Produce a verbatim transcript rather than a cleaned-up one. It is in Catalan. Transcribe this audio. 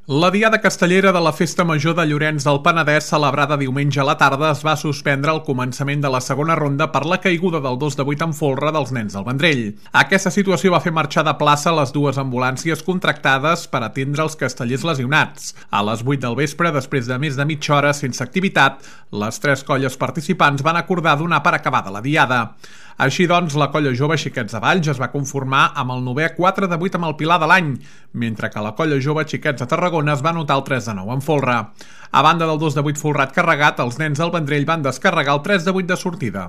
La diada castellera de la Festa Major de Llorenç del Penedès, celebrada diumenge a la tarda, es va suspendre al començament de la segona ronda per la caiguda del dos de vuit en folre dels nens del Vendrell. Aquesta situació va fer marxar de plaça les dues ambulàncies contractades per atendre els castellers lesionats. A les vuit del vespre, després de més de mitja hora sense activitat, les tres colles participants van acordar donar per acabada la diada. Així doncs, la colla jove Xiquets de Valls es va conformar amb el novè quatre de vuit amb el Pilar de l'any, mentre que la colla jove Xiquets de Tarragona es va anotar el tres de nou en folre. A banda del dos de vuit folrat carregat, els nens del Vendrell van descarregar el tres de vuit de sortida.